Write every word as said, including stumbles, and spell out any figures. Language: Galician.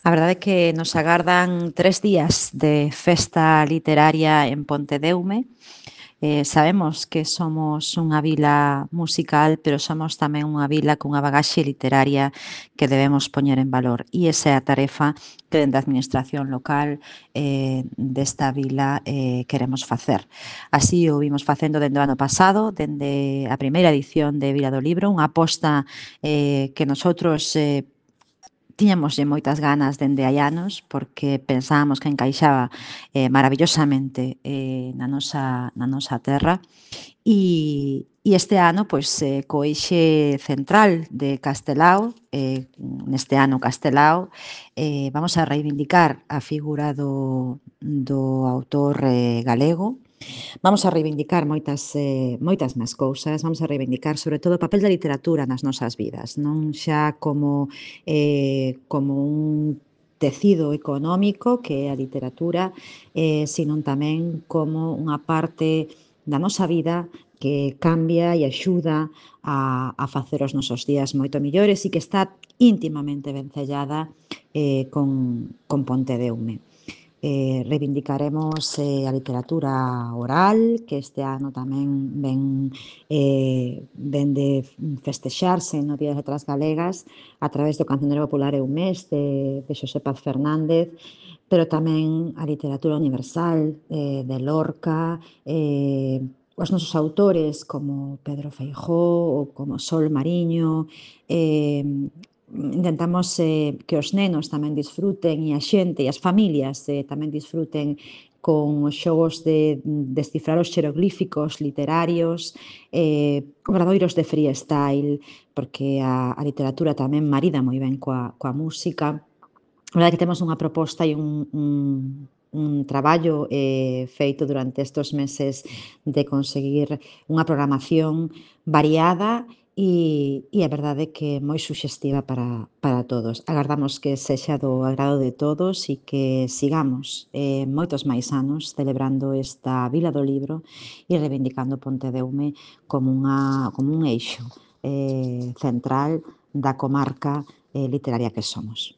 A verdade é que nos agardan tres días de festa literaria en Pontedeume. Eh, sabemos que somos unha vila musical, pero somos tamén unha vila cunha bagaxe literaria que debemos poñer en valor. E esa é a tarefa que dende a administración local eh, desta vila eh, queremos facer. Así o vimos facendo dende o ano pasado, dende a primeira edición de Vila do Libro, unha aposta eh, que nosotros eh, tiñamoslle moitas ganas dende hai anos, porque pensábamos que encaixaba eh, maravillosamente eh, na nosa na nosa terra. E e este ano, pois, eh, co eixe central de Castelao, eh, neste ano Castelao, eh, vamos a reivindicar a figura do do autor eh, galego. Vamos a reivindicar moitas, eh, moitas máis cousas, vamos a reivindicar sobre todo o papel da literatura nas nosas vidas, non xa como, eh, como un tecido económico que é a literatura, eh, sino tamén como unha parte da nosa vida que cambia e axuda a, a facer os nosos días moito millores e que está íntimamente vencellada eh, con, con Pontedeume. Eh, reivindicaremos eh, a literatura oral, que este ano tamén ven, eh, ven de festexarse no Día das Letras Galegas a través do Cancionero Popular Eumés de, de Xosé Paz Fernández, pero tamén a literatura universal eh, de Lorca, eh, os nosos autores como Pedro Feijó ou como Sol Mariño, eh, intentamos eh, que os nenos tamén disfruten e a xente e as familias eh, tamén disfruten con os xogos de descifrar os xeroglíficos literarios, eh, obradoiros de freestyle, porque a, a literatura tamén marida moi ben coa, coa música. A verdade é que temos unha proposta e un, un, un traballo eh, feito durante estes meses de conseguir unha programación variada e, e a verdade é que moi suxestiva para, para todos. Agardamos que sexa do agrado de todos e que sigamos eh, moitos máis anos celebrando esta Vila do Libro e reivindicando Pontedeume como, unha, como un eixo eh, central da comarca eh, literaria que somos.